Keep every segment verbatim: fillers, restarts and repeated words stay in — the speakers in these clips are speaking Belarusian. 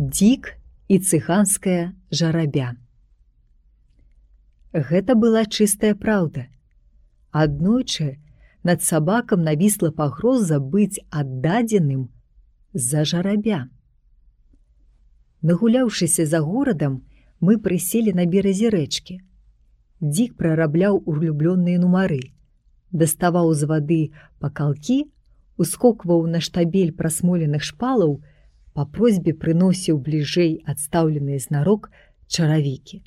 Дзік і цыганская жарабя. Гэта была чыстая праўда. Аднойчы над сабакам навісла пагроза быць аддадзеным за жарабя. Нагуляўшыся за горадам, мы прыселі на беразе рэчкі. Дзік прарабляў улюблёныя нумары, даставаў з вады пакалкі, ускокваў на штабель прасмоленых шпалаў, па просьбе прыносіў бліжэй адстаўленыя знарок чаравікі.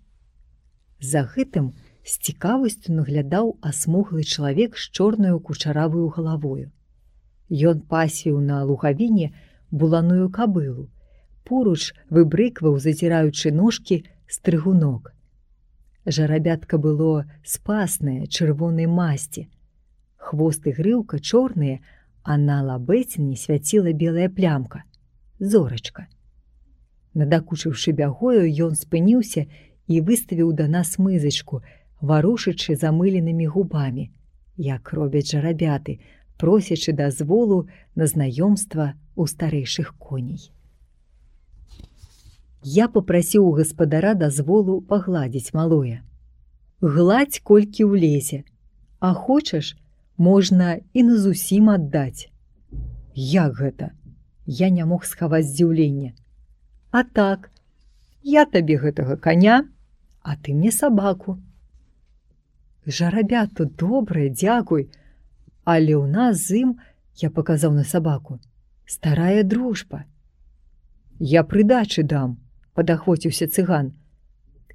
За гэтым з цікавасцю наглядаў асмуглы чалавек з чорнаю кучаравую галавою. Ён пасвіў на лугавіне буланую кабылу, поруч выбрыкваў, зазіраючы ножкі, стрыгунок. Жарабятка было спаснае, чырвонай масці. Хвост і грыўка чорныя, а на лабэціні свяціла белая плямка, зорачка. Надакучыўшы бягою, ён спыніўся і выставіў да нас мызачку, варушачы замыленымі губамі, як робяць жарабяты, просячы дазволу на знаёмства ў старэйшых коней. Я папрасіў у гаспадара дазволу пагладзіць малое. Гладзь колькі ўлезе, а хочаш, можна і назусім аддаць. Як гэта? Я не мог схаваць здзіўлення. А так, я табе гэтага каня, а ты мне сабаку. Жарабя тут добрае, дзякуй, але ў нас з ім, я паказаў на сабаку, старая дружба. Я прыдачы дам, падахвоціўся цыган.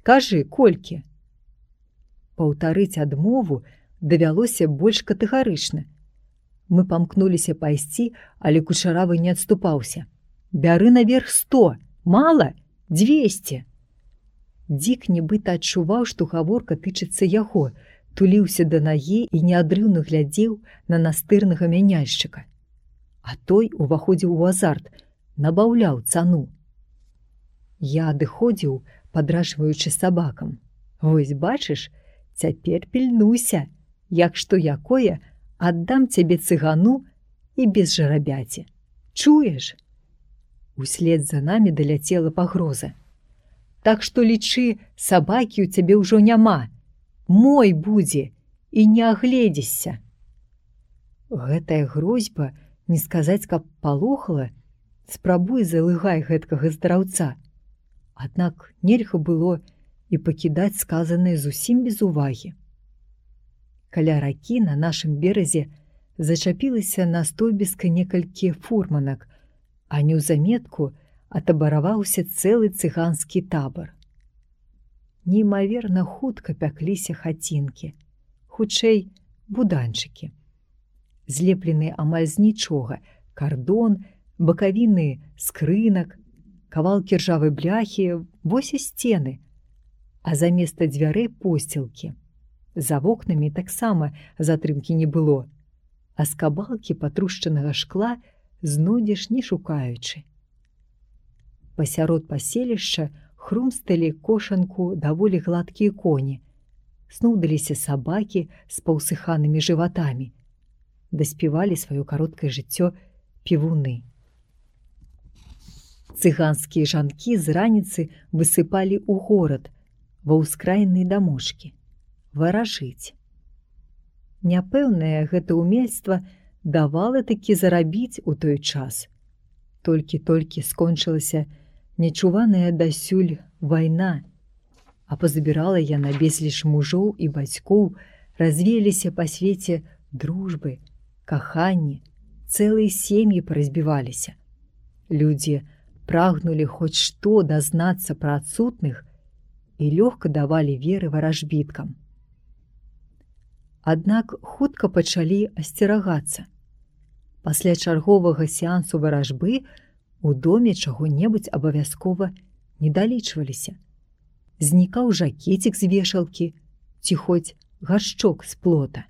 Кажы, колькі? Паўтарыць адмову давялося больш катэгарычна. Мы памкнуліся пайсці, але кучаравы не адступаўся. Бяры наверх сто, мала, дзвесце. Дзік нібыта адчуваў, што гаворка тычыцца яго, туліўся да нагі і неадрыўна глядзеў на настырнага мяняльшчыка. А той уваходзіў у азарт, набаўляў цану. Я адыходзіў, падражваючы сабакам. Вось бачыш, цяпер пільнуйся, як што якое, аддам цябе цыгану і без жарабяці. Чуеш? Услед за намі даляцела пагроза. Так што лічы, сабакі ў цябе ўжо няма. Мой будзе, і не агледзішся. Гэтая грозьба, не сказаць, каб палохала, спрабуй залыгай гэткага здраўца. Аднак нельга было і пакідаць сказанае зусім без увагі. Каля ракі на нашым беразе зачапілася на стойбіска некалькі фурманак, а неўзаметку атабараваўся цэлы цыганскі табар. Неймаверна хутка пякліся хацінкі, хутчэй буданчыкі. Злепленыя амаль з нічога, кардон, бакавіны скрынак, кавалкі ржавай бляхі, вось і сцены, а заместа дзвярэй посцілкі. За вокнамі таксама затрымкі не было, а скабалкі патрушчанага шкла знойдзеш не шукаючы. Пасярод паселішча хрумсталі кошанку даволі гладкія коні, снудаліся сабакі з паўсыханымі жыватамі, даспявалі сваё кароткае жыццё півуны. Цыганскія жанкі з раніцы высыпалі ў горад, ва ўскраінныя дамочкі, варажыць. Няпэўнае гэта ўмельства давала такі зарабіць у той час. Толькі-толькі скончылася нечуваная дасюль вайна, а пазабірала яна безліч мужоў і бацькоў, развеяліся па свеце дружбы, каханні, цэлыя сем'і паразбіваліся. Людзі прагнулі хоць што дазнацца пра адсутных і лёгка давалі веры варажбіткам. Аднак хутка пачалі асцерагацца. Пасля чарговага сеансу варажбы у доме чаго-небудзь абавязкова не далічваліся. Знікаў жакецік з вешалкі ці хоць гаршчок з плота.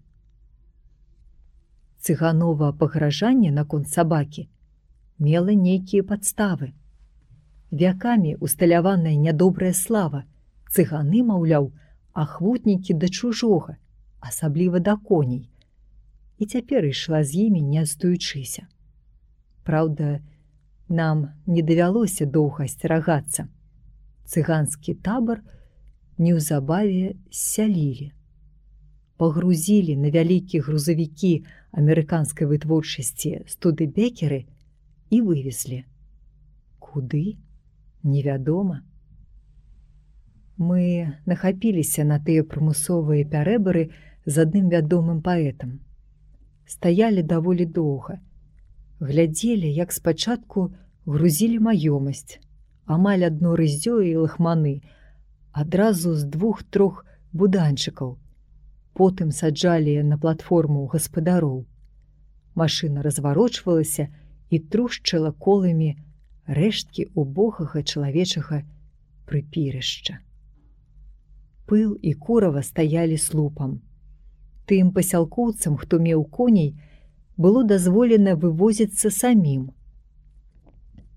Цыганова пагражанне наконт сабакі мела нейкія падставы. Вякамі усталяваная нядобрая слава, цыганы, маўляў, ахвотнікі да чужога, асабліва да коней, і цяпер ішла з імі не адстаючыся. Праўда, Нам не давялося доўга асцерагацца. Цыганскі табар неўзабаве ссялілі. Пагрузілі на вялікія грузавікі амерыканскай вытворчасці студыбекеры і вывезлі. Куды? Невядома. Мы нахапіліся на тыя прымусовыя пярэбары з адным вядомым паэтам. Стаялі даволі доўга. Глядзелі, як спачатку грузілі маёмасць, амаль адно рыззё і лахманы, адразу з двух-трох буданчыкаў. Потым саджалі на платформу гаспадароў. Машына разварочвалася і трушчыла коламі рэшткі убогага чалавечага прыпірышча. Пыл і курава стаялі слупам. Тым пасялкоўцам, хто меў коней, было дазволена вывозіцца самім.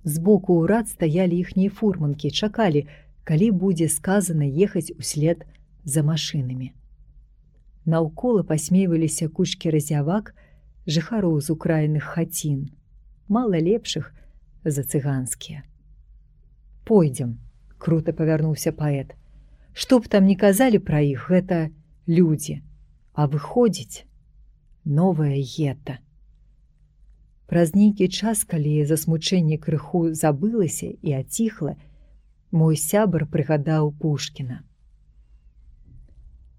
Збоку ўрад стаялі іхнія фурманкі, чакалі, калі будзе сказана ехаць услед за машынамі. Наўкола пасмейваліся кучкі разявак, жыхароў з украіных хацін, мала лепшых за цыганскія. «Пойдзем», — крута павярнуўся паэт. «Што б там ні казалі пра іх, гэта людзі, а выходзіць новае гета». Праз нейкі час, калі засмучэнне крыху забылася і аціхла, мой сябар прыгадаў Пушкіна.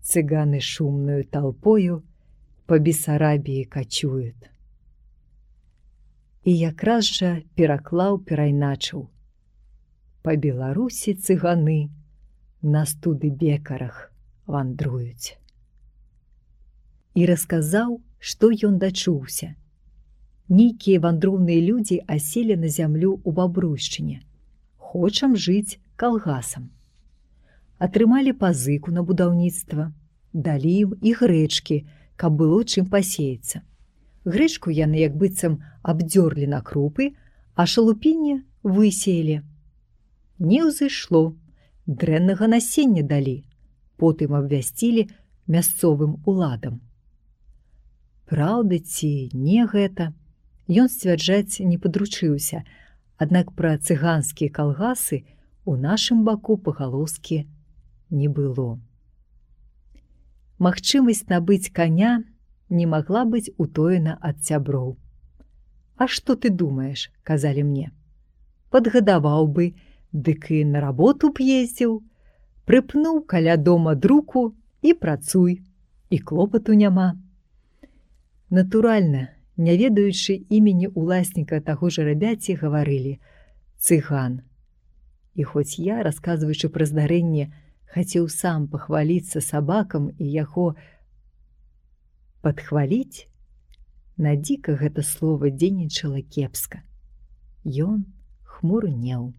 «Цыганы шумную толпою по Бессарабіі качуют». І якраз жа пераклаў, перайначыў: «Па Беларусі цыганы на студыбекарах вандруюць». І расказаў, што ён дачуўся. Нейкія вандроўныя людзі аселі на зямлю ў Бабруйшчыне. Хочам жыць калгасам. Атрымалі пазыку на будаўніцтва, далі ім і грэчкі, каб было чым пасеяцца. Грэчку яны як быццам абдзёрлі на крупы, а шалупінне высеялі. Не ўзышло, дрэннага насення далі, потым абвясцілі мясцовым уладам. Праўда ці не гэта, ён сцвярджаць не падручыўся, аднак пра цыганскія калгасы у нашым баку пагалоскі не было. Магчымасць набыць каня не магла быць утоена ад сяброў. «А што ты думаеш?» — казалі мне. «Падгадаваў бы, дык і на работу б ездзіў, прыпнуў каля дома друку і працуй, і клопату няма». Натуральна, не ведаючы імені уласніка таго жарабяці, гаварылі «цыган». І хоць я, расказваючы пра здарэнне, хацеў сам пахваліцца сабакам і яго падхваліць, на дзіка гэта слова дзейнічала кепска. Ён хмурнеў.